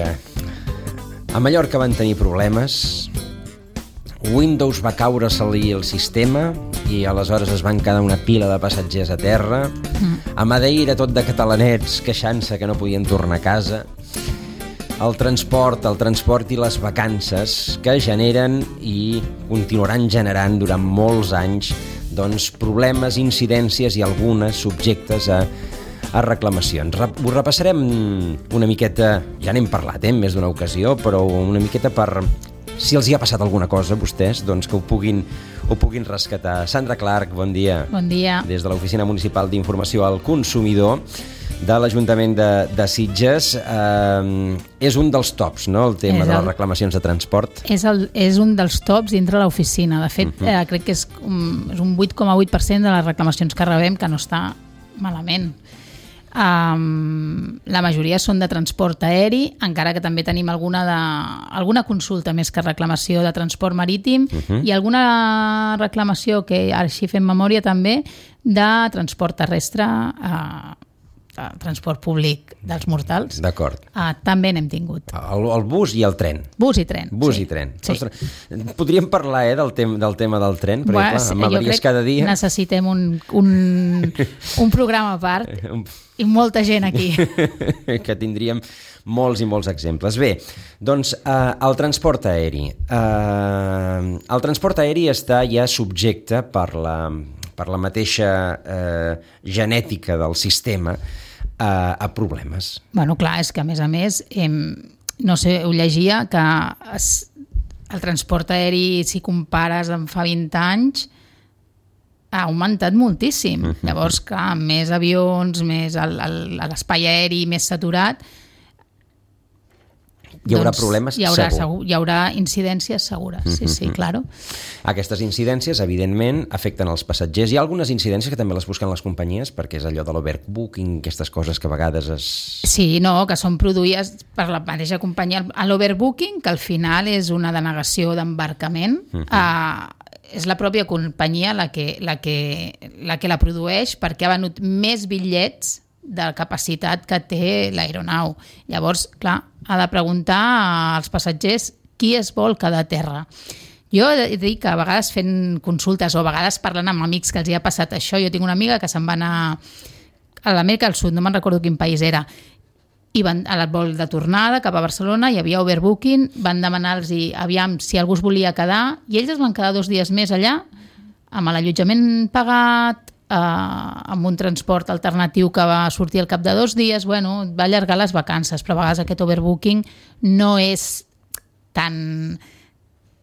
A Mallorca van tenir problemes, Windows va caure-se-li el sistema i aleshores es van quedar una pila de passatgers a terra. A Madeira tot de catalanets queixant-se que no podien tornar a casa. El transport i les vacances que generen i continuaran generant durant molts anys problemes, incidències i algunes subjectes a reclamacions. Ho repassarem una miqueta, ja n'hem parlat en més d'una ocasió, però una miqueta per, si els hi ha passat alguna cosa a vostès, que ho puguin rescatar. Sandra Clark, bon dia. Bon dia. Des de l'Oficina Municipal d'Informació al Consumidor de l'Ajuntament de Sitges. És un dels tops, no?, el tema de les reclamacions de transport. És un dels tops dintre l'oficina. De fet, crec que és un 8,8% de les reclamacions que rebem, que no està malament. La majoria són de transport aeri, encara que també tenim alguna consulta més que reclamació de transport marítim i alguna reclamació, que així fem memòria també, de transport terrestre, transport públic dels mortals. D'acord. També n'hem tingut. El bus i el tren. Bus i tren. Bus i tren. Sí. Ostres, podríem parlar del tema del tren? Perquè, clar, m'avaries cada dia. Necessitem un programa a part i molta gent aquí. Que tindríem molts i molts exemples. Bé, doncs el transport aeri. El transport aeri està ja subjecte per la mateixa genètica del sistema a problemes. Bueno, clar, és que a més, no sé, ho llegia, que el transport aeri, si compares amb fa 20 anys, ha augmentat moltíssim. Llavors, clar, més avions, més l'espai aeri més saturat, hi haurà problemes, segur. Hi haurà incidències segures, sí, claro. Aquestes incidències, evidentment, afecten els passatgers. Hi ha algunes incidències que també les busquen les companyies, perquè és allò de l'overbooking, aquestes coses que a vegades es... Sí, no, que són produïdes per la mateixa companyia. L'overbooking, que al final és una denegació d'embarcament, és la pròpia companyia la que la produeix, perquè ha venut més bitllets de la capacitat que té l'aeronau. Llavors, clar, ha de preguntar als passatgers qui es vol quedar a terra. Jo he de dir que a vegades fent consultes o a vegades parlant amb amics que els hi ha passat això, jo tinc una amiga que se'n va anar a l'Amèrica del Sud, no me'n recordo quin país era, i van al vol de tornada cap a Barcelona, hi havia overbooking, van demanar-los aviam si algú es volia quedar, i ells es van quedar 2 dies més allà, amb l'allotjament pagat, amb un transport alternatiu que va sortir al cap de 2 dies, bueno, va allargar les vacances, però a vegades aquest overbooking no és tan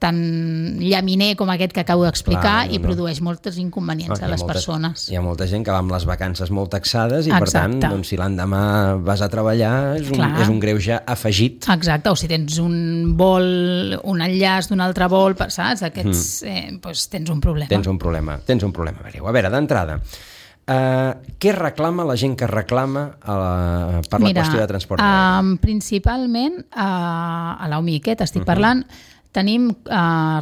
llaminer com aquest que acabo d'explicar. Clar, i produeix moltes inconvenients a les persones. Hi ha molta gent que va amb les vacances molt taxades i per tant, si l'endemà vas a treballar és un greuge afegit. Exacte, o si tens un vol, un enllaç d'un altre vol, saps? Doncs tens un problema. Tens un problema. A veure, d'entrada, què reclama la gent que reclama per la qüestió de transport aeri? Principalment a l'Umiquet estic parlant, tenim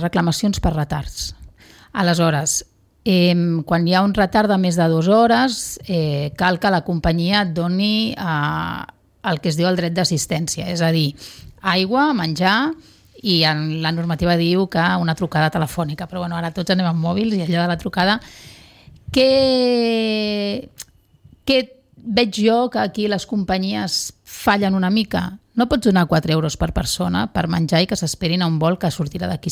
reclamacions per retards. Aleshores, quan hi ha un retard de més de 2 hores, cal que la companyia et doni el que es diu el dret d'assistència, és a dir, aigua, menjar, i la normativa diu que una trucada telefònica, però bueno, ara tots anem amb mòbils i allò de la trucada, que veig jo que aquí les companyies fallen una mica. No pots donar 4 euros per persona per menjar i que s'esperin a un vol que sortirà d'aquí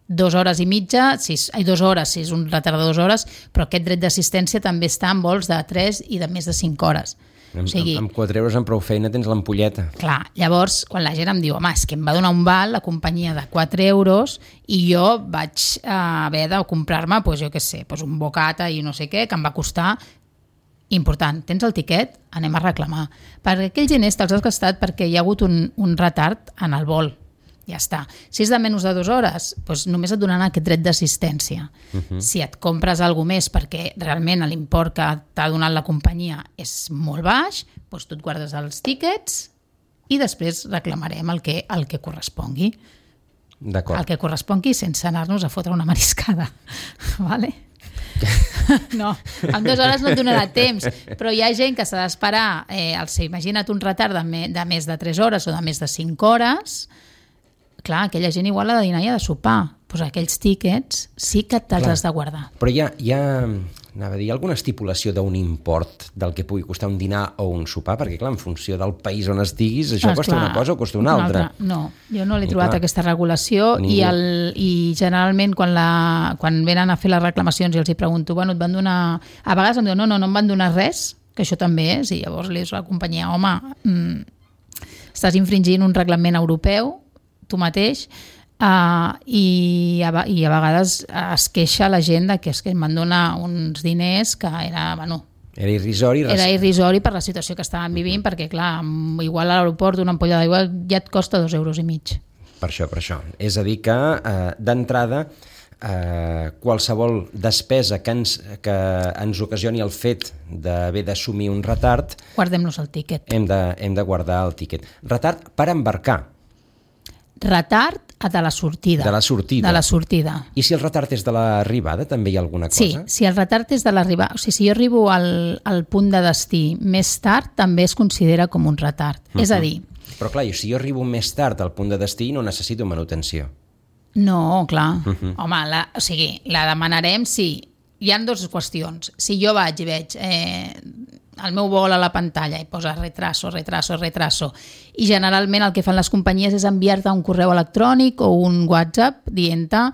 2 hores i mitja, 2 hores, si és un retard de 2 hores, però aquest dret d'assistència també està en vols de 3 i de més de 5 hores. Amb 4 euros amb prou feina tens l'ampolleta. Clar, llavors, quan la gent em diu home, és que em va donar un val la companyia de 4 euros i jo vaig haver de comprar-me, jo què sé, un bocata i no sé què, que em va costar important. Tens el tiquet? Anem a reclamar. Per aquells diners te'ls has gastat perquè hi ha hagut un retard en el vol. Ja està. Si és de menys de 2 hores, només et donaran aquest dret d'assistència. Si et compres alguna més perquè realment l'import que t'ha donat la companyia és molt baix, tu et guardes els tíquets i després reclamarem el que correspongui. D'acord. El que correspongui sense anar-nos a fotre una mariscada. Vale? No, en 2 hores no et donarà temps, però hi ha gent que s'ha d'esperar, imagina't un retard de més de 3 hores o de més de 5 hores, clar, aquella gent igual ha de dinar i ha de sopar, doncs aquells tíquets sí que te'ls has de guardar. Però hi ha anava a dir, alguna estipulació d'un import del que pugui costar un dinar o un sopar? Perquè, clar, en funció del país on estiguis, això costa una cosa o costa una altra. No, jo no l'he trobat aquesta regulació i generalment quan venen a fer les reclamacions i els hi pregunto, bueno, et van donar... A vegades em diuen, no em van donar res, que això també és, i llavors li dius a la companyia, home, estàs infringint un reglament europeu, tu mateix, i a vegades es queixa la gent que em van donar uns diners que era, bueno... Era irrisori. Era irrisori per la situació que estàvem vivint, perquè, clar, igual a l'aeroport una ampolla d'aigua ja et costa 2,5 euros. Per això. És a dir que, d'entrada, qualsevol despesa que ens ocasioni el fet d'haver d'assumir un retard... Guardem-nos el tíquet. Hem de guardar el tíquet. Retard per embarcar. Retard de la sortida. De la sortida. I si el retard és de l'arribada, també hi ha alguna cosa? Sí, si el retard és de l'arribada... O sigui, si jo arribo al punt de destí més tard, també es considera com un retard. És a dir... Però clar, si jo arribo més tard al punt de destí, no necessito manutenció. No, clar. Home, la demanarem si... Hi ha 2 qüestions. Si jo vaig i veig... el meu vol a la pantalla i posa retraso, i generalment el que fan les companyies és enviar-te un correu electrònic o un WhatsApp dient-te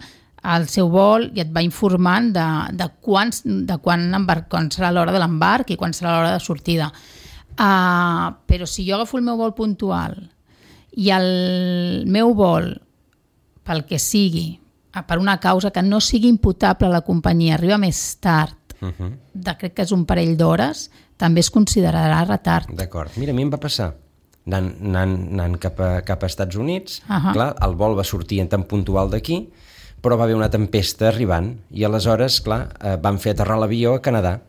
el seu vol i et va informant de quan serà l'hora de l'embarc i quan serà l'hora de sortida. Però si jo agafo el meu vol puntual i el meu vol, pel que sigui, per una causa que no sigui imputable a la companyia, arriba més tard, crec que és un parell d'hores, també es considerarà retard. D'acord. Mira, a mi em va passar anant cap a Estats Units, clar, el vol va sortir tan puntual d'aquí, però va haver una tempesta arribant i aleshores, clar, van fer aterrar l'avió a Canadà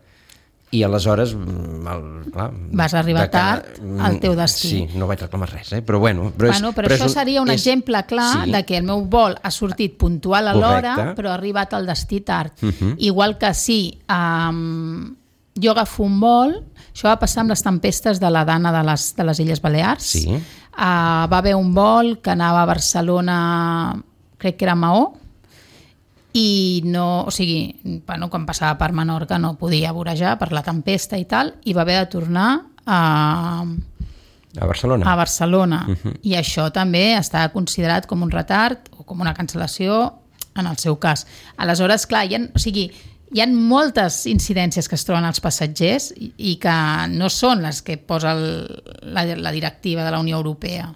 i aleshores... Vas arribar tard al teu destí. Sí, no vaig reclamar res, però bueno... Però això seria un exemple clar de que el meu vol ha sortit puntual a l'hora, però ha arribat al destí tard. Igual que si jo agafo un vol, això va passar amb les tempestes de la Dana de les Illes Balears. Va haver un vol que anava a Barcelona, crec que era Maó, i no, o sigui, quan passava per Menorca no podia vorejar per la tempesta i tal, i va haver de tornar a Barcelona. I això també està considerat com un retard o com una cancel·lació en el seu cas. Aleshores, clar, hi ha moltes incidències que es troben als passatgers i que no són les que posa la directiva de la Unió Europea,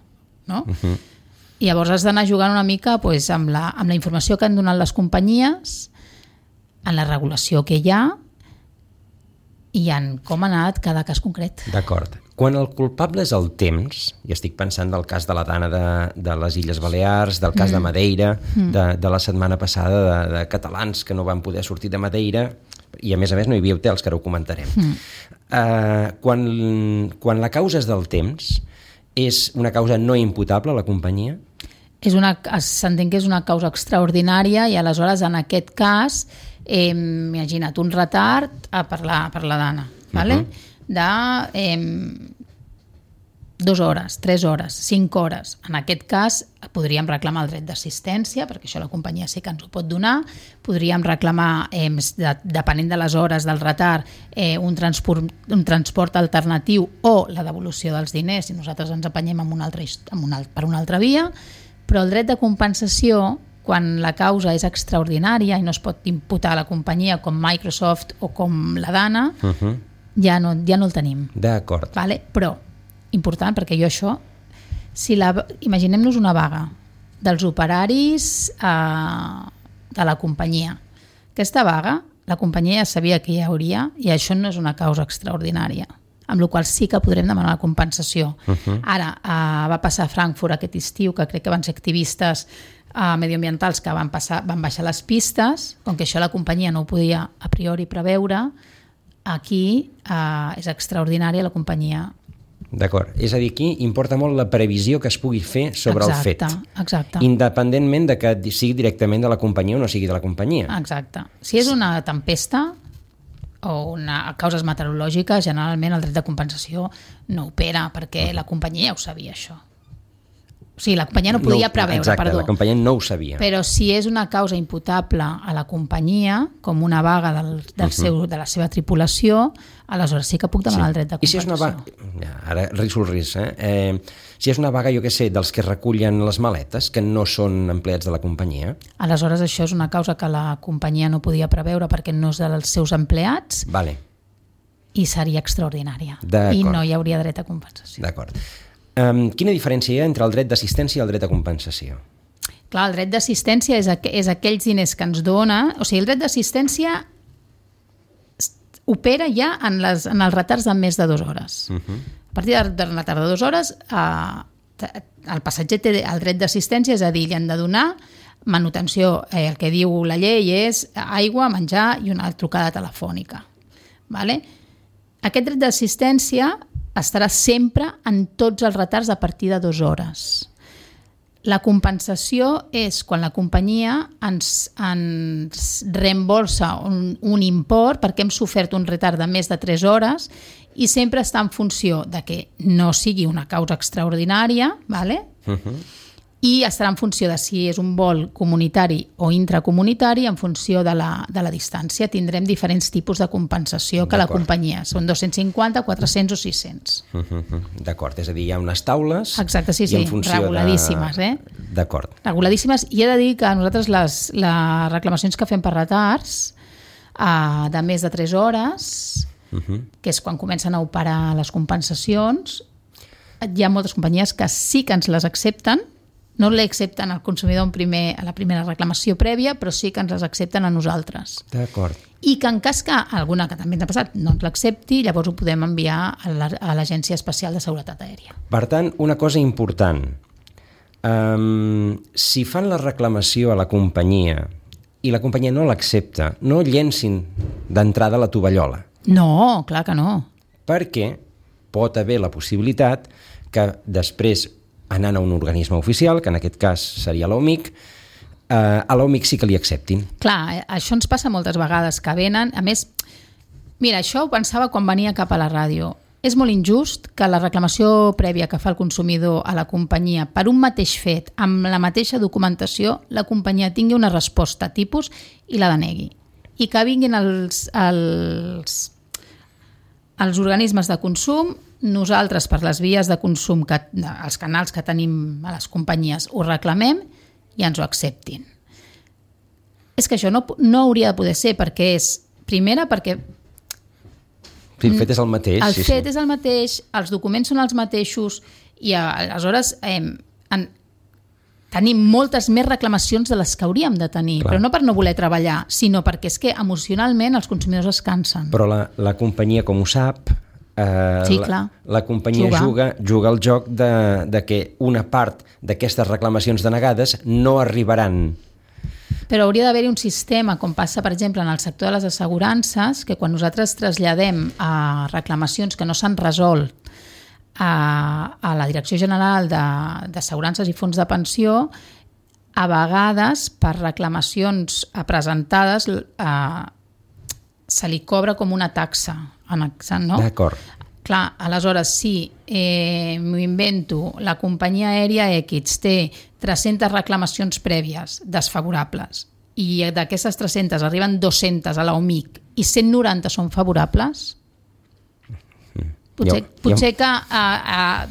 no? I llavors has d'anar jugant una mica amb la informació que han donat les companyies, en la regulació que hi ha i en com ha anat cada cas concret. D'acord. Quan el culpable és el temps, i estic pensant del cas de la Dana de les Illes Balears, del cas de Madeira, de la setmana passada de catalans que no van poder sortir de Madeira, i a més no hi havia hotels, que ara ho comentarem. Quan la causa és del temps, és una causa no imputable a la companyia? S'entén que és una causa extraordinària i aleshores en aquest cas imagina't un retard per la Dana, de 2 hores, 3 hores, 5 hores. En aquest cas podríem reclamar el dret d'assistència, perquè això la companyia sí que ens ho pot donar. Podríem reclamar, depenent de les hores del retard, un transport alternatiu o la devolució dels diners si nosaltres ens apanyem per una altra via. Però el dret de compensació, quan la causa és extraordinària i no es pot imputar a la companyia com Microsoft o com la Dana, ja no el tenim. D'acord. Però, important, perquè jo això... Imaginem-nos una vaga dels operaris de la companyia. Aquesta vaga, la companyia ja sabia que hi hauria i això no és una causa extraordinària, amb la qual sí que podrem demanar la compensació. Ara, va passar a Frankfurt aquest estiu, que crec que van ser activistes medioambientals que van baixar les pistes, com que això la companyia no ho podia a priori preveure, aquí és extraordinària la companyia. D'acord, és a dir, aquí importa molt la previsió que es pugui fer sobre el fet. Exacte. Independentment de que sigui directament de la companyia o no sigui de la companyia. Exacte. Si és una tempesta, causes meteorològiques, generalment el dret de compensació no opera, perquè la companyia ja ho sabia, això. O sigui, la companyia no podia preveure, exacte, perdó. La companyia no ho sabia. Però si és una causa imputable a la companyia, com una vaga de la seva tripulació, aleshores sí que puc demanar el dret de compensació. I si és una vaga... Ara riso el risc, si és una vaga, jo què sé, dels que recullen les maletes, que no són empleats de la companyia... Aleshores això és una causa que la companyia no podia preveure perquè no és dels seus empleats i seria extraordinària. I no hi hauria dret a compensació. D'acord. Quina diferència hi ha entre el dret d'assistència i el dret de compensació? Clar, el dret d'assistència és aquells diners que ens dona... O sigui, el dret d'assistència opera ja en els retards de més de 2 hores. A partir del retard de 2 hores, el passatger té el dret d'assistència, és a dir, li han de donar manutenció. El que diu la llei és aigua, menjar i una trucada telefònica. Vale? Aquest dret d'assistència estarà sempre en tots els retards a partir de 2 hores. La compensació és quan la companyia ens reembolsa un import perquè hem sofert un retard de més de 3 hores i sempre està en funció de que no sigui una causa extraordinària, ¿vale? I estarà en funció de si és un vol comunitari o intracomunitari, en funció de la distància. Tindrem diferents tipus de compensació que la companyia. Són 250, 400 o 600. D'acord, és a dir, hi ha unes taules... Exacte, sí, reguladíssimes. D'acord. Reguladíssimes. I he de dir que nosaltres les reclamacions que fem per retards de més de 3 hores, que és quan comencen a operar les compensacions, hi ha moltes companyies que sí que ens les accepten, no li accepten al consumidor a la primera reclamació prèvia, però sí que ens les accepten a nosaltres. D'acord. I que en cas que alguna que també ens ha passat no ens l'accepti, llavors ho podem enviar a l'Agència Especial de Seguretat Aèria. Per tant, una cosa important. Si fan la reclamació a la companyia i la companyia no l'accepta, no llencin d'entrada la tovallola. No, clar que no. Perquè pot haver la possibilitat que després, anant a un organisme oficial, que en aquest cas seria l'OMIC, a l'OMIC sí que li acceptin. Clar, això ens passa moltes vegades, que venen... A més, mira, això ho pensava quan venia cap a la ràdio. És molt injust que la reclamació prèvia que fa el consumidor a la companyia per un mateix fet, amb la mateixa documentació, la companyia tingui una resposta tipus i la denegui. I que vinguin els organismes de consum, nosaltres per les vies de consum, els canals que tenim a les companyies, ho reclamem i ens ho acceptin. És que això no hauria de poder ser, perquè és, primera, perquè... Sí, el fet és el mateix. El fet és el mateix, els documents són els mateixos i aleshores tenim moltes més reclamacions de les que hauríem de tenir, però no per no voler treballar, sinó perquè és que emocionalment els consumidors es cansen. Però la companyia, com ho sap, sí, la companyia juga el joc de que una part d'aquestes reclamacions denegades no arribaran. Però hauria d'haver-hi un sistema, com passa, per exemple, en el sector de les assegurances, que quan nosaltres traslladem a reclamacions que no s'han resolt a la Direcció General d'Assegurances i Fons de Pensió, a vegades per reclamacions presentades se li cobra com una taxa, no? D'acord. Clar, aleshores, si m'ho invento, la companyia aèria X té 300 reclamacions prèvies desfavorables i d'aquestes 300 arriben 200 a l'OMIC i 190 són favorables, potser que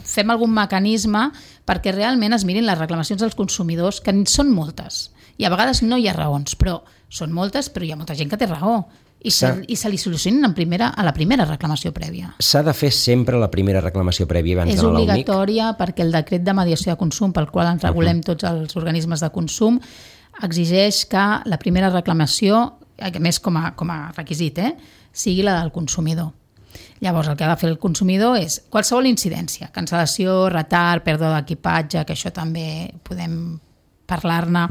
fem algun mecanisme perquè realment es mirin les reclamacions dels consumidors, que són moltes. I a vegades no hi ha raons, però són moltes, però hi ha molta gent que té raó. I se li solucionen a la primera reclamació prèvia. S'ha de fer sempre la primera reclamació prèvia abans d'anar a l'OMIC? És obligatòria perquè el decret de mediació de consum, pel qual ens regulem tots els organismes de consum, exigeix que la primera reclamació, a més com a requisit, sigui la del consumidor. Llavors, el que ha de fer el consumidor és qualsevol incidència, cancel·lació, retard, pèrdua d'equipatge, que això també podem parlar-ne,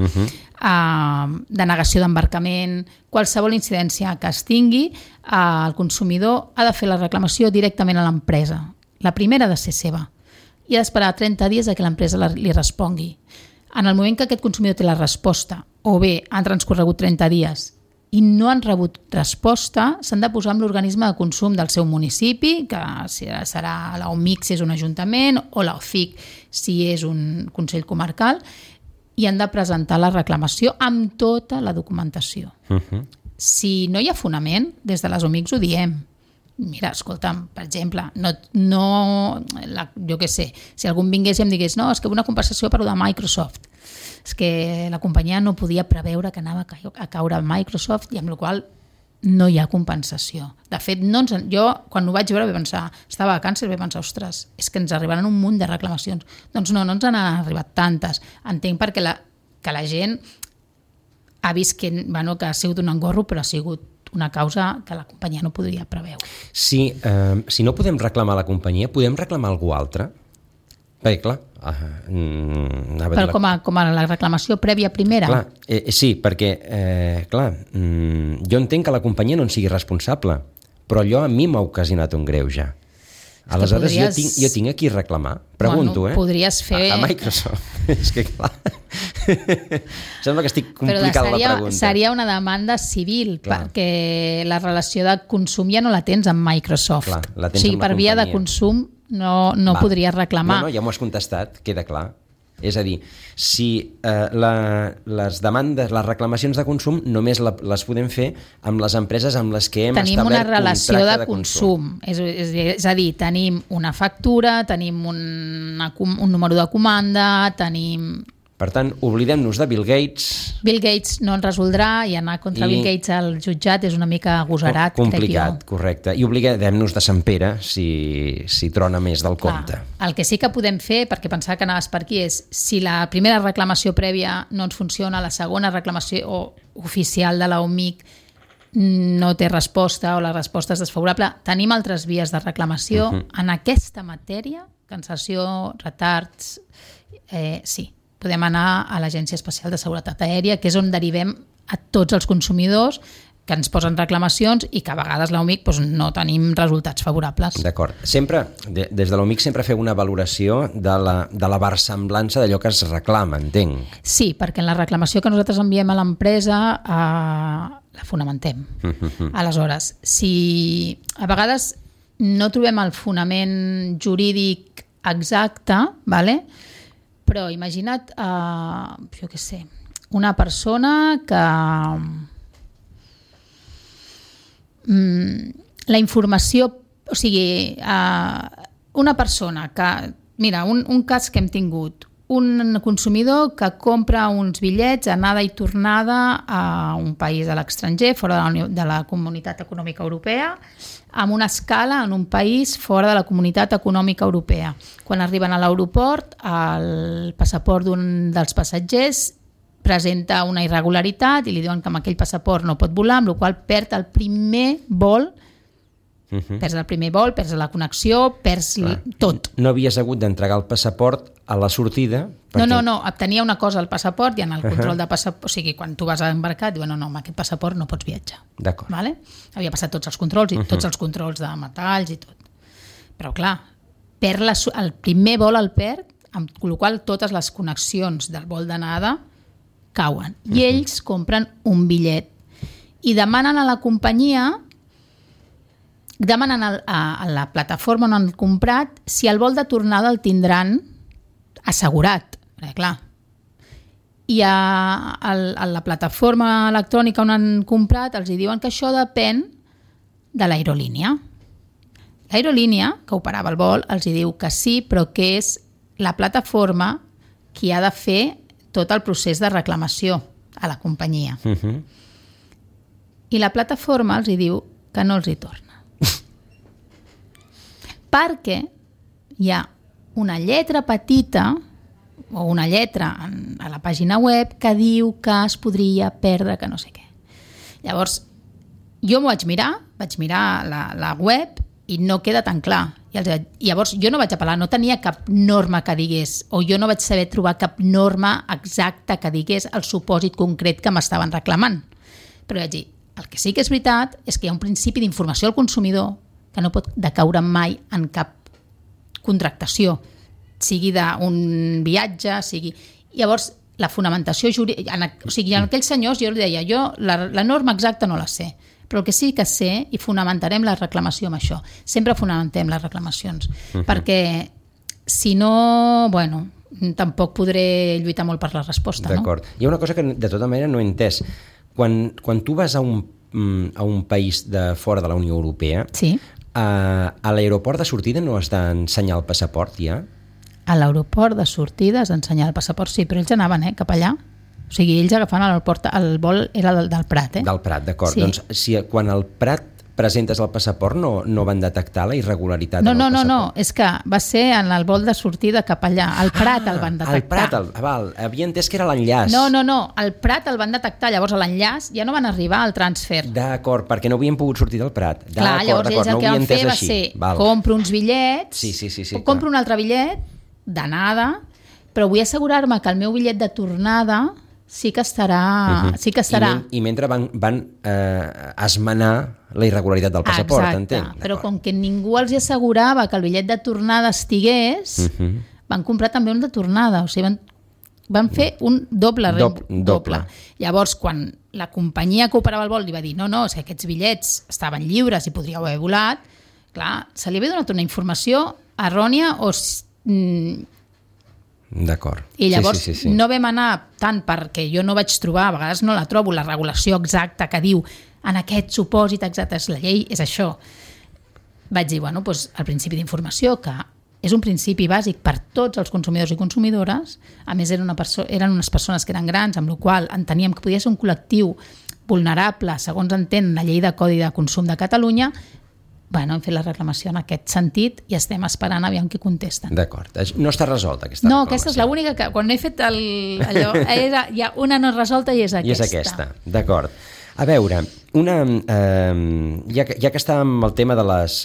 denegació d'embarcament, qualsevol incidència que es tingui, el consumidor ha de fer la reclamació directament a l'empresa. La primera ha de ser seva i ha d'esperar 30 dies que l'empresa li respongui. En el moment que aquest consumidor té la resposta, o bé han transcorregut 30 dies i no han rebut resposta, s'han de posar amb l'organisme de consum del seu municipi, que serà l'OMIC si és un ajuntament o l'OCIC si és un Consell Comarcal, i han de presentar la reclamació amb tota la documentació. Si no hi ha fonament, des de les OMICs ho diem. Mira, escolta'm, per exemple, jo què sé, si algú vingués i em digués no, és que una compensació per de Microsoft, és que la companyia no podia preveure que anava a caure a Microsoft i amb la qual no hi ha compensació. De fet, jo quan ho vaig veure vaig pensar, estava a càncer, vaig pensar, ostres, és que ens arribaran un munt de reclamacions. Doncs no ens han arribat tantes. Entenc perquè que la gent ha vist que ha sigut un engorro, però ha sigut una causa que la companyia no podria preveure. Si no podem reclamar la companyia, podem reclamar algú altre? Perquè, clar... Però com a la reclamació prèvia primera? Clar, sí, perquè, jo entenc que la companyia no en sigui responsable, però allò a mi m'ha ocasionat un greuge. Aleshores, jo tinc aquí reclamar. Pregunto, podries fer... A Microsoft. És que, clar... Sembla que estic complicant la pregunta. Seria una demanda civil, perquè la relació de consum ja no la tens amb Microsoft. Clar, la tens amb la per via de consum no podries reclamar. No, ja m'ho has contestat, queda clar. És a dir, si les demandes, les reclamacions de consum només les podem fer amb les empreses amb les que hem establert una relació contracte de consum. És a dir, tenim una factura, tenim un número de comanda, tenim... Per tant, oblidem-nos de Bill Gates. Bill Gates no ens resoldrà i anar contra Bill Gates al jutjat és una mica agosarat, complicat, correcte. I oblidem-nos de Sant Pere si trona més del compte. El que sí que podem fer, perquè pensava que anaves per aquí, és si la primera reclamació prèvia no ens funciona, la segona reclamació oficial de la OMIC no té resposta o la resposta és desfavorable, tenim altres vies de reclamació en aquesta matèria, cancel·lació, retards, sí. Podem anar a l'Agència Especial de Seguretat Aèria, que és on derivem a tots els consumidors que ens posen reclamacions i que a vegades l'OMIC no tenim resultats favorables. D'acord. Sempre, des de l'OMIC sempre feu una valoració de la versemblança d'allò que es reclama, entenc. Sí, perquè en la reclamació que nosaltres enviem a l'empresa la fonamentem. Aleshores, si a vegades no trobem el fonament jurídic exacte, ¿vale? Però imagina't, jo què sé, una persona que... la informació... O sigui, una persona que... Mira, un cas que hem tingut. Un consumidor que compra uns bitllets anada i tornada a un país de l'estranger, fora de la Comunitat Econòmica Europea, amb una escala en un país fora de la Comunitat Econòmica Europea. Quan arriben a l'aeroport, el passaport d'un dels passatgers presenta una irregularitat i li diuen que amb aquell passaport no pot volar, amb la qual cosa perd el primer vol, perds el primer vol, perds la connexió, perds tot. No havies hagut d'entregar el passaport a la sortida? No, tenia una cosa al passaport i en el control de passaport, o sigui, quan tu vas a embarcar, diuen no, amb aquest passaport no pots viatjar. D'acord. Vale? Havia passat tots els controls i tots els controls de metalls i tot. Però clar, el primer vol el perd, amb la qual totes les connexions del vol d'anada cauen. I ells compren un bitllet i demanen a la companyia, demanen a la plataforma on han comprat si el vol de tornada el tindran assegurat, perquè clar. I a la plataforma electrònica on han comprat els diuen que això depèn de l'aerolínia. L'aerolínia, que operava el vol, els diu que sí, però que és la plataforma qui ha de fer tot el procés de reclamació a la companyia. I la plataforma els diu que no els hi torna. Perquè hi ha una lletra petita o una lletra a la pàgina web que diu que es podria perdre, que no sé què. Llavors, jo m'ho vaig mirar la web i no queda tan clar. Llavors, jo no vaig apel·lar, no tenia cap norma que digués, o jo no vaig saber trobar cap norma exacta que digués el supòsit concret que m'estaven reclamant. Però vaig dir, el que sí que és veritat és que hi ha un principi d'informació al consumidor que no pot decaure mai en cap contractació, sigui d'un viatge, sigui... Llavors, la fonamentació jurídica... O sigui, en aquells senyors jo li deia, jo la norma exacta no la sé, però el que sí que sé, i fonamentarem la reclamació amb això. Sempre fonamentem les reclamacions, perquè si no, bueno, tampoc podré lluitar molt per la resposta. D'acord. Hi ha una cosa que de tota manera no he entès. Quan tu vas a un país de fora de la Unió Europea, sí. A l'aeroport de sortida no has d'ensenyar el passaport ja? A l'aeroport de sortida has d'ensenyar el passaport, sí, però ells anaven cap allà. O sigui, ells agafaven l'aeroport, el vol era del Prat. Del Prat, d'acord. Sí. Doncs si quan al Prat presentes el passaport no van detectar la irregularitat en el passaport? No, és que va ser en el vol de sortida cap allà. Al Prat el van detectar. Al Prat, havia entès que era l'enllaç. No, al Prat el van detectar, llavors a l'enllaç ja no van arribar al transfer. D'acord, perquè no havien pogut sortir del Prat. Clar, llavors ells el que van fer va ser compro uns bitllets, sí, compro un altre bitllet d'anada, però vull assegurar-me que el meu bitllet de tornada sí que estarà... I mentre van esmenar la irregularitat del passaport, entenc. Però com que ningú els assegurava que el bitllet de tornada estigués, van comprar també un de tornada, o sigui, van fer un doble. Llavors, quan la companyia que operava el vol li va dir no, si aquests bitllets estaven lliures i podríeu haver volat, clar, se li havia donat una informació errònia o... D'acord. I llavors no vam anar tant perquè jo no vaig trobar, a vegades no la trobo, la regulació exacta que diu en aquest supòsit exacte, la llei és això. Vaig dir, bueno, doncs el principi d'informació, que és un principi bàsic per tots els consumidors i consumidores, a més eren unes persones que eren grans, amb la qual cosa enteníem que podia ser un col·lectiu vulnerable, segons entén la llei de Codi de Consum de Catalunya. Bueno, hem fet la reclamació en aquest sentit i estem esperant aviam què contesten. D'acord. No està resolta aquesta reclamació? No, aquesta és l'única que, quan he fet allò, hi ha una no resolta i és aquesta. I és aquesta, d'acord. A veure, ja que estàvem amb el tema de les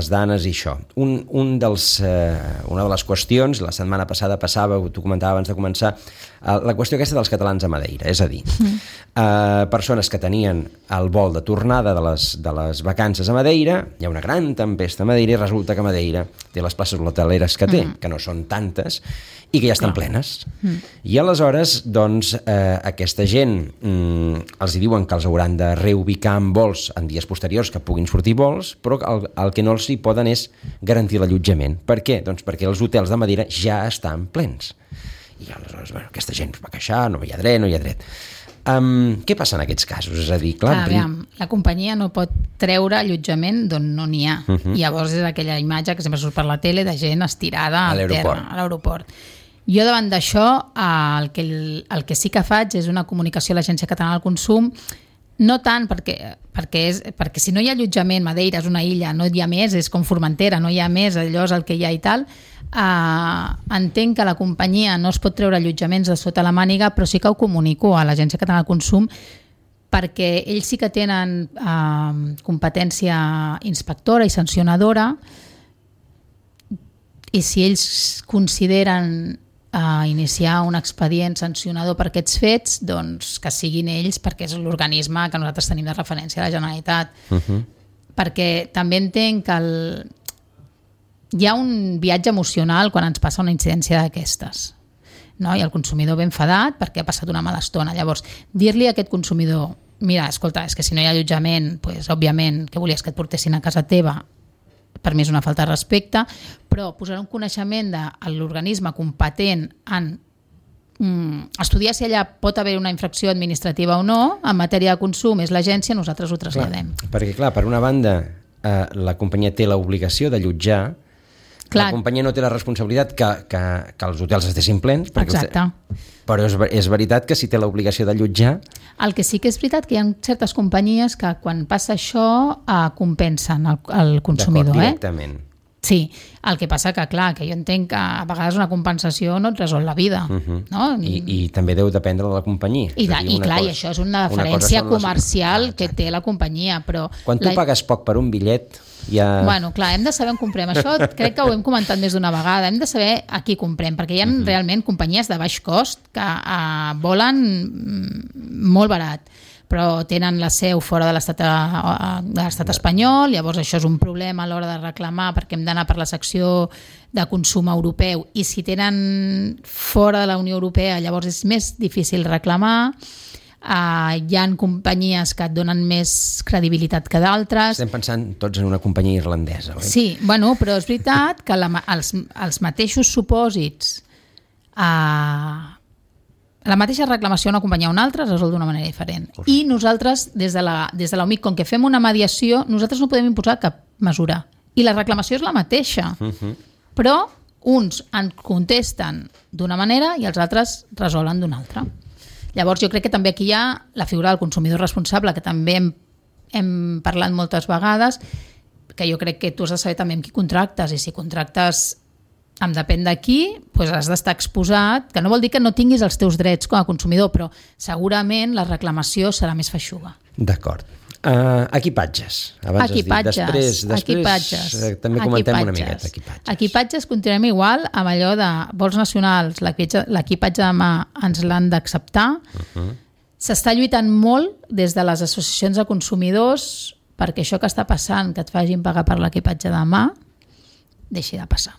danes i això, una de les qüestions, la setmana passada passava, tu comentava abans de començar, la qüestió aquesta dels catalans a Madeira, és a dir, persones que tenien el vol de tornada de les vacances a Madeira, hi ha una gran tempesta a Madeira i resulta que Madeira té les places hoteleres que té, que no són tantes, i que ja estan plenes. I aleshores, doncs, aquesta gent els diuen que els hauran de reubicar en vols en dies posteriors que puguin sortir vols, però el que no els hi poden és garantir l'allotjament. Per què? Doncs perquè els hotels de Madeira ja estan plens. I aleshores, bueno, aquesta gent va queixar, no hi ha dret. Què passa en aquests casos? És a dir, clar... la companyia no pot treure allotjament d'on no n'hi ha. Llavors és aquella imatge que sempre surt per la tele de gent estirada al terra, a l'aeroport. Jo davant d'això el que sí que faig és una comunicació a l'Agència Catalana del Consum, no tant perquè si no hi ha allotjament, Madeira és una illa, no hi ha més, és com Formentera, no hi ha més, allò és el que hi ha i tal, entenc que la companyia no es pot treure allotjaments de sota la màniga, però sí que ho comunico a l'Agència Catalana del Consum perquè ells sí que tenen competència inspectora i sancionadora, i si ells consideren iniciar un expedient sancionador per aquests fets, doncs que siguin ells, perquè és l'organisme que nosaltres tenim de referència a la Generalitat. Perquè també entenc que hi ha un viatge emocional quan ens passa una incidència d'aquestes, no? I el consumidor ben enfadat perquè ha passat una mala estona. Llavors, dir-li a aquest consumidor, mira, escolta, és que si no hi ha allotjament, doncs, òbviament, que volies que et portessin a casa teva, per mi és una falta de respecte, però posar un coneixement de l'organisme competent en estudiar si allà pot haver una infracció administrativa o no, en matèria de consum és l'agència, nosaltres ho traslladem. Perquè, clar, per una banda, la companyia té l'obligació d'allotjar, la companyia no té la responsabilitat que els hotels estiguin plens, però és veritat que si té l'obligació d'allotjar... El que sí que és veritat que hi ha certes companyies que quan passa això compensen el consumidor. D'acord, directament. Sí, el que passa que, clar, que jo entenc que a vegades una compensació no et resol la vida. No? I també deu dependre de la companyia. I això és una diferència comercial que té la companyia. Però quan tu pagues poc per un bitllet... Ja... Bueno, clar, hem de saber on comprem. Això crec que ho hem comentat més d'una vegada. Hem de saber a qui comprem, perquè hi ha realment companyies de baix cost que volen molt barat. però tenen la seu fora de l'estat espanyol, llavors això és un problema a l'hora de reclamar perquè hem d'anar per la secció de consum europeu i si tenen fora de la Unió Europea llavors és més difícil reclamar. Hi ha companyies que et donen més credibilitat que d'altres. Estem pensant tots en una companyia irlandesa, oi? Sí, bueno, però és veritat que els mateixos supòsits la mateixa reclamació a una companyia o una altra es resol d'una manera diferent. Correcte. I nosaltres, des de l'OMIC, com que fem una mediació, nosaltres no podem imposar cap mesura. I la reclamació és la mateixa. Però uns en contesten d'una manera i els altres resolen d'una altra. Llavors jo crec que també aquí hi ha la figura del consumidor responsable, que també hem parlat moltes vegades, que jo crec que tu has de saber també amb qui contractes, i si contractes em depèn de qui, doncs has d'estar exposat, que no vol dir que no tinguis els teus drets com a consumidor, però segurament la reclamació serà més feixuga. D'acord. Equipatges. Abans equipatges. Has dit. Després també comentem una miqueta. Equipatges continuem igual amb allò de vols nacionals, l'equipatge de mà ens l'han d'acceptar. S'està lluitant molt des de les associacions de consumidors perquè això que està passant, que et facin pagar per l'equipatge de mà, deixi de passar.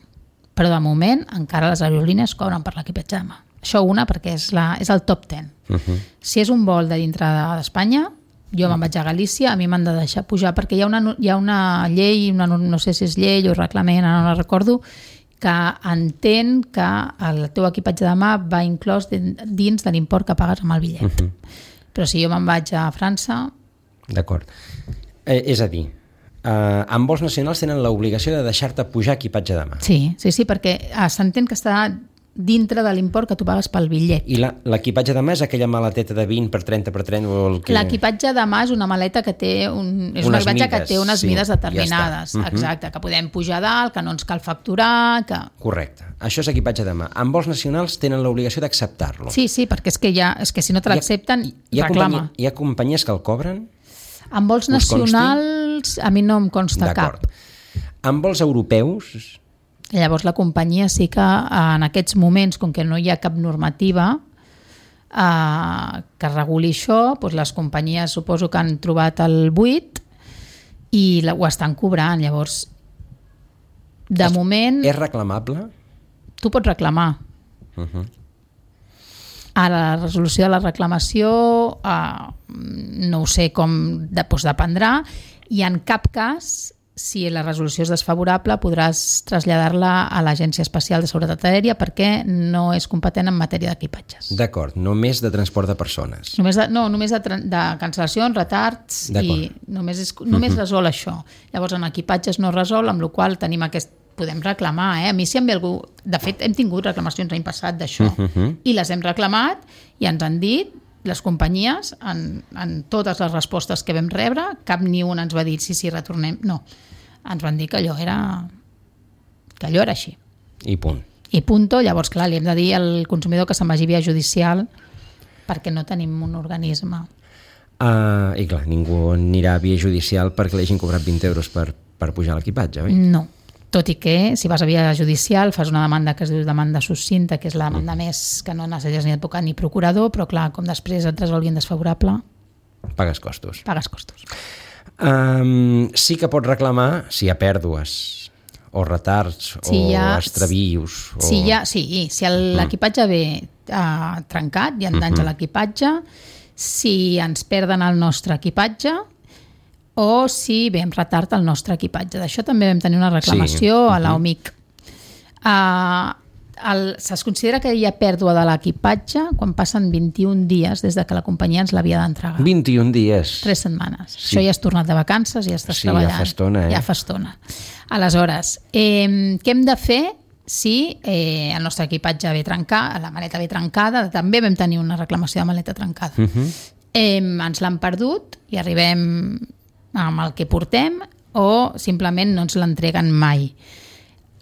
Però de moment encara les aerolínies cobren per l'equipatge de mà. Això perquè és el top 10. Si és un vol de dintre d'Espanya, jo me'n vaig a Galícia, a mi m'han de deixar pujar, perquè hi ha una llei, no sé si és llei o reglament, no la recordo, que entén que el teu equipatge de mà va inclòs dins de l'import que pagues amb el bitllet. Però si jo me'n vaig a França... D'acord. És a dir, en vols nacionals tenen l'obligació de deixar-te pujar equipatge de mà. Sí, perquè s'entén que està dintre de l'import que tu pagues pel bitllet. I l'equipatge de mà és aquella maleteta de 20 per 30 per 30? O el que... L'equipatge de mà és una maleta que té unes mides determinades. Ja exacte, que podem pujar dalt, que no ens cal facturar... Correcte. Això és equipatge de mà. En vols nacionals tenen l'obligació d'acceptar-lo. Sí, perquè és que si no te l'accepten, reclama. Hi ha companyies que el cobren? En vols nacionals a mi no em consta cap. En vols europeus... Llavors la companyia sí que en aquests moments, com que no hi ha cap normativa que reguli això, doncs les companyies suposo que han trobat el buit i ho estan cobrant. Llavors, de moment... És reclamable? Tu pots reclamar. Ara, la resolució de la reclamació no ho sé com dependrà, i en cap cas, si la resolució és desfavorable, podràs traslladar-la a l'Agència Especial de Seguretat Aèria perquè no és competent en matèria d'equipatges. D'acord, només de transport de persones. Només de cancel·lacions, retards, i només resol això. Llavors en equipatges no resol, amb la qual tenim podem reclamar. A mi si em ve algú... De fet, hem tingut reclamacions l'any passat d'això i les hem reclamat i ens han dit, les companyies, en totes les respostes que vam rebre, cap ni una ens va dir sí, retornem. No, ens van dir que allò era així. I punt. I punto. Llavors, clar, li hem de dir al consumidor que se'n vagi via judicial perquè no tenim un organisme. I clar, ningú anirà a via judicial perquè li hagin cobrat 20 euros per pujar l'equipatge, oi? No. Tot i que, si vas a via judicial, fas una demanda que es diu demanda succinta, que és la demanda més que no necessites ni advocat ni procurador, però clar, com després et resolguin desfavorable... Pagues costos. Sí que pots reclamar si hi ha pèrdues o retards o extravius. Si l'equipatge ve trencat, hi ha danys a l'equipatge, si ens perden el nostre equipatge o si ve amb retard el nostre equipatge. D'això també vam tenir una reclamació a l'OMIC. Es considera que hi ha pèrdua de l'equipatge quan passen 21 dies des de que la companyia ens l'havia d'entregar. 21 dies? 3 setmanes. Sí. Això ja has tornat de vacances i ja estàs treballant. Ja fa estona. Ja fa estona. Aleshores, què hem de fer si el nostre equipatge ve trencat, la maleta ve trencada? També vam tenir una reclamació de maleta trencada. Ens l'han perdut i arribem amb el que portem o simplement no ens l'entreguen mai.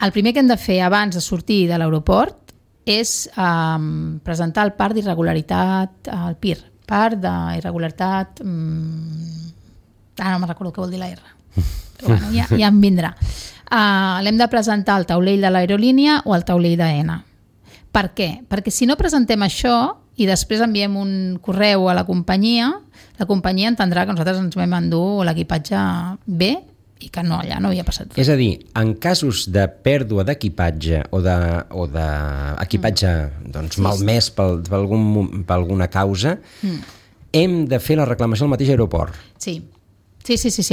El primer que hem de fer abans de sortir de l'aeroport és presentar el part d'irregularitat, el PIR, part d'irregularitat... no me'n recordo què vol dir la R. Però bueno, ja em vindrà. L'hem de presentar al taulell de l'aerolínia o al taulell d'AENA. Per què? Perquè si no presentem això, i després enviem un correu a la companyia entendrà que nosaltres ens vam endur l'equipatge bé i que no, allà no havia passat res. És a dir, en casos de pèrdua d'equipatge o d'equipatge malmès per alguna causa, hem de fer la reclamació al mateix aeroport. Sí,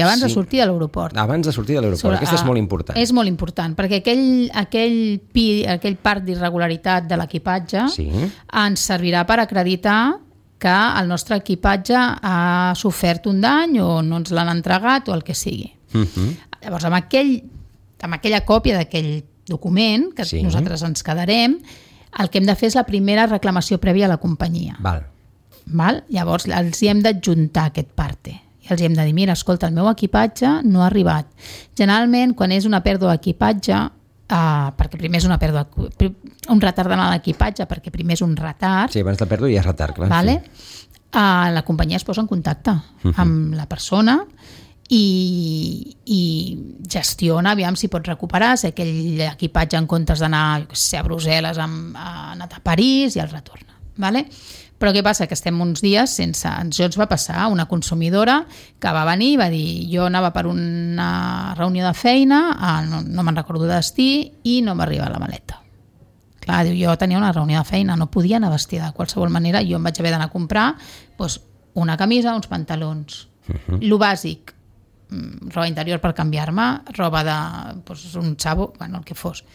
abans de sortir de l'aeroport. Abans de sortir de l'aeroport, aquesta és molt important. És molt important, perquè aquell part d'irregularitat de l'equipatge ens servirà per acreditar que el nostre equipatge ha sofert un dany o no ens l'han entregat o el que sigui. Llavors, amb aquella còpia d'aquell document que nosaltres ens quedarem, el que hem de fer és la primera reclamació prèvia a la companyia. Val? Llavors, els hi hem d'adjuntar aquest parte. I els hi hem de dir, mira, escolta, el meu equipatge no ha arribat. Generalment, quan és una pèrdua d'equipatge, perquè primer és un retard en l'equipatge, perquè primer és un retard. Sí, abans de pèrdua hi ha retard, clar. Vale? La companyia es posa en contacte amb la persona i gestiona, aviam si pot recuperar, si aquell equipatge en comptes d'anar a Brussel·les ha anat a París i el retorna. Vale? Però què passa? Que estem uns dies sense... Això ens va passar una consumidora que va venir i va dir jo anava per una reunió de feina, no me'n recordo de destí, i no m'arriba la maleta. Clar, diu, jo tenia una reunió de feina, no podia anar vestida de qualsevol manera, jo em vaig haver d'anar a comprar una camisa, uns pantalons. Lo bàsic, roba interior per canviar-me, roba de un xavo, el que fos.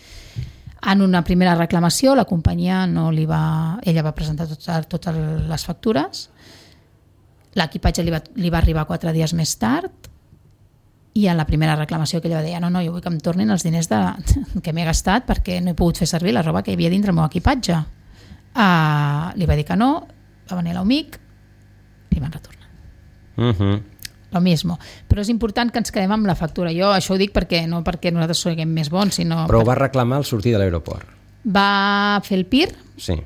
En una primera reclamació, la companyia ella va presentar totes les factures, l'equipatge li va arribar 4 dies més tard, i en la primera reclamació que ella va dir, no, jo vull que em tornin els diners que m'he gastat perquè no he pogut fer servir la roba que hi havia dintre el meu equipatge. Li va dir que no, va venir l'amic, li van retornar. Lo mismo. Però és important que ens quedem amb la factura. Jo això ho dic no perquè nosaltres siguem més bons, sinó... Però ho va reclamar al sortir de l'aeroport. Va fer el PIR. Sí,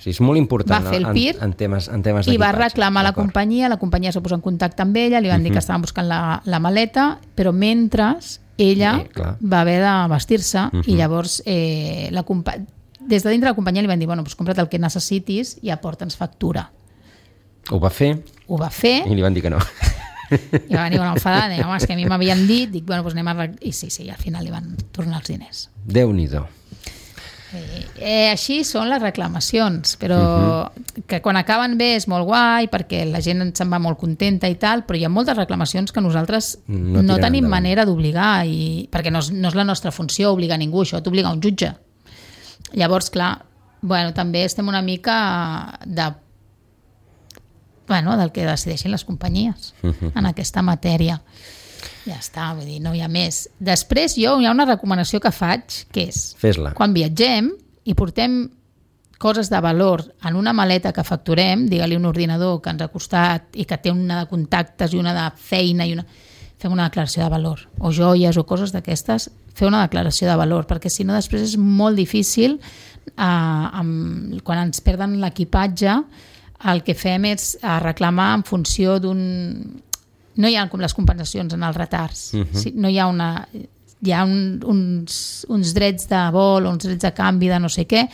és molt important. Va fer el PIR en temes d'equipatge. I va reclamar la companyia se posa en contacte amb ella, li van dir que estaven buscant la maleta, però mentre ella va haver de vestir-se i llavors des de dintre la companyia li van dir, compra't el que necessitis i aporta'ns factura. Ho va fer. I li van dir que no. I va venir una enfadada, és que a mi m'havien dit, dic, anem a... I sí, al final li van tornar els diners. Déu-n'hi-do. Així són les reclamacions, però que quan acaben bé és molt guai, perquè la gent se'n va molt contenta i tal, però hi ha moltes reclamacions que nosaltres no tenim manera d'obligar, perquè no és la nostra funció obligar ningú, això t'obliga un jutge. Llavors, clar, també estem una mica del que decideixin les companyies en aquesta matèria. Ja està, vull dir, no hi ha més. Després hi ha una recomanació que faig, que és, fes-la. Quan viatgem i portem coses de valor en una maleta que facturem, digue-li un ordinador que ens ha costat i que té una de contactes i una de feina, fem una declaració de valor, o joies o coses d'aquestes, fer una declaració de valor, perquè si no després és molt difícil quan ens perden l'equipatge. El que fem és reclamar en funció d'un... No hi ha com les compensacions en els retards. No hi ha hi ha uns drets de vol o uns drets de canvi de no sé què,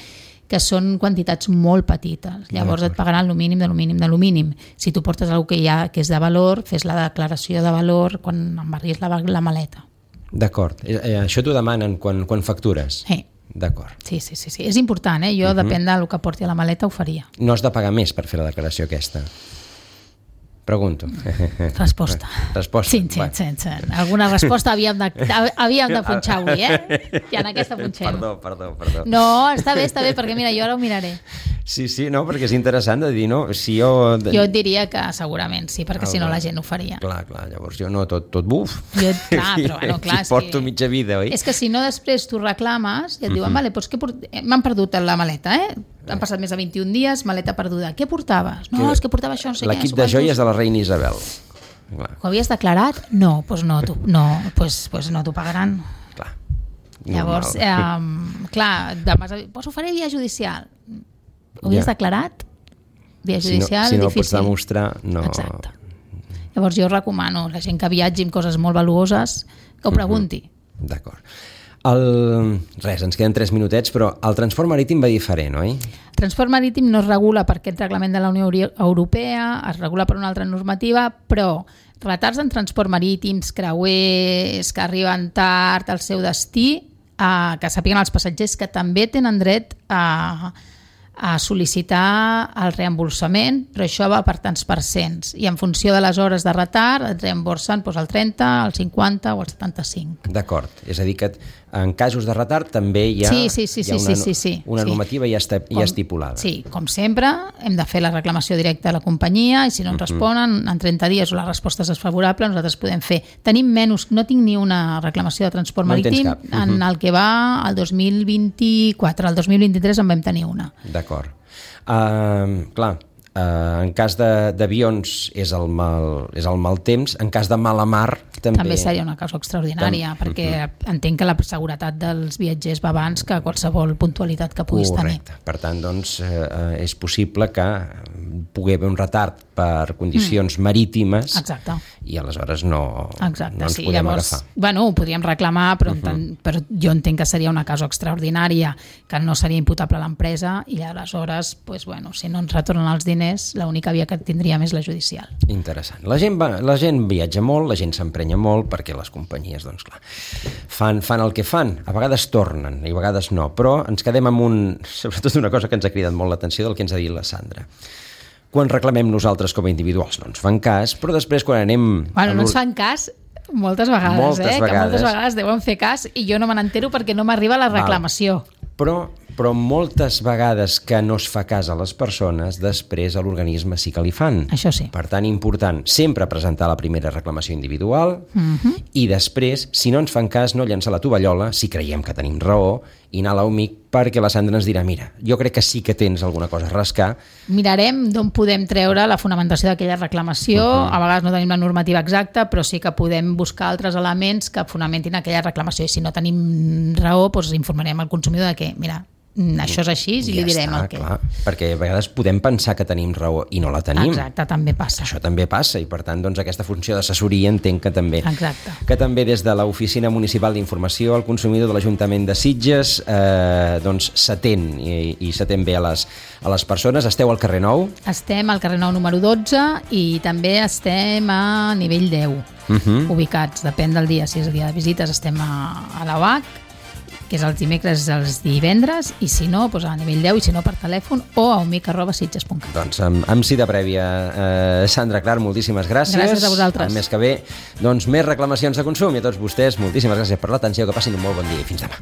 que són quantitats molt petites. Llavors et pagaran lo mínim de lo mínim de lo mínim. Si tu portes alguna cosa que és de valor, fes la declaració de valor quan embarguis la maleta. D'acord. Això t'ho demanen quan factures? Sí. D'acord. Sí. És important, Jo, depèn del que porti a la maleta, ho faria. No has de pagar més per fer la declaració aquesta? Pregunto. Resposta. Sí. Alguna resposta havíem de punxar avui, I en aquesta punxem. Perdó. No, està bé, perquè mira, jo ara ho miraré. Sí, no, perquè és interessant de dir, no? Si jo... Jo et diria que segurament sí, perquè si no la gent ho faria. Clar, llavors jo no tot buf. Clar, si porto mitja vida, oi? És que si no després tu reclames i et diuen, vale, doncs m'han perdut la maleta, Han passat més de 21 dies, maleta perduda. Què portaves? No, és que portava això, no sé què. L'equip de joies de la reina Isabel. Ho havies declarat? No, doncs no t'ho pagaran. Clar. Llavors, ho faré via judicial. Ho havies declarat? Via judicial, si no difícil. Pots demostrar, no. Exacte. Llavors jo recomano a la gent que viatgi amb coses molt valuoses que ho pregunti. D'acord. Res, ens queden 3 minutets, però el transport marítim va diferent, oi? El transport marítim no es regula per aquest reglament de la Unió Europea, es regula per una altra normativa, però retards en transport marítims, creuers, que arriben tard al seu destí, que sàpiguen els passatgers que també tenen dret a sol·licitar el reemborsament, però això va per tants percents i en funció de les hores de retard et reemborsen el 30, el 50 o el 75. D'acord, és a dir que en casos de retard també hi ha una normativa ja estipulada. Sí, com sempre, hem de fer la reclamació directa a la companyia i si no ens responen en 30 dies o la resposta és desfavorable, nosaltres podem fer. Tenim menys, no tinc ni una reclamació de transport marítim en el que va el 2024, el 2023 en vam tenir una. D'acord. Clar, en cas d'avions és el mal temps, en cas de mala mar també seria una causa extraordinària, perquè entenc que la seguretat dels viatgers va abans que qualsevol puntualitat que puguis tenir. Correcte. Per tant, doncs, és possible que pugui haver un retard per condicions marítimes. Exacte. I aleshores no ens podem agafar. Bueno, ho podríem reclamar, però jo entenc que seria una causa extraordinària, que no seria imputable a l'empresa i aleshores, si no ens retornen els diners, l'única via que tindríem és la judicial. Interessant. La gent viatja molt, la gent s'emprenya molt, perquè les companyies, doncs clar, fan el que fan. A vegades tornen i a vegades no, però ens quedem amb sobretot una cosa que ens ha cridat molt l'atenció del que ens ha dit la Sandra. Quan reclamem nosaltres com a individuals no ens fan cas, però després quan anem... No ens fan cas moltes vegades, que moltes vegades deuen fer cas i jo no me n'entero perquè no m'arriba la reclamació. Però moltes vegades que no es fa cas a les persones, després a l'organisme sí que li fan. Això sí. Per tant, important, sempre presentar la primera reclamació individual i després, si no ens fan cas, no llançar la tovallola, si creiem que tenim raó, i anar a l'OMIC perquè la Sandra ens dirà, mira, jo crec que sí que tens alguna cosa a rascar. Mirarem d'on podem treure la fonamentació d'aquella reclamació, a vegades no tenim la normativa exacta, però sí que podem buscar altres elements que fonamentin aquella reclamació i si no tenim raó, doncs informarem al consumidor de que, mira, això és així i li direm el que... Clar, perquè a vegades podem pensar que tenim raó i no la tenim. Exacte, també passa. Això també passa i per tant doncs, aquesta funció d'assessoria entenc que també. Exacte. Que també des de l'Oficina Municipal d'Informació al Consumidor de l'Ajuntament de Sitges doncs s'atén i s'atén bé a les persones. Esteu al carrer Nou? Estem al carrer Nou número 12 i també estem a nivell 10 ubicats, depèn del dia, si és el dia de visites estem a la UAC, que és els dimecres i els divendres, i si no, doncs a nivell 10, i si no per telèfon, o a omic@sitges.cat. Doncs amb cita prèvia. Sandra Clar, moltíssimes gràcies. Gràcies a vosaltres. El mes que ve, doncs més reclamacions de consum, i a tots vostès, moltíssimes gràcies per l'atenció, que passin un molt bon dia i fins demà.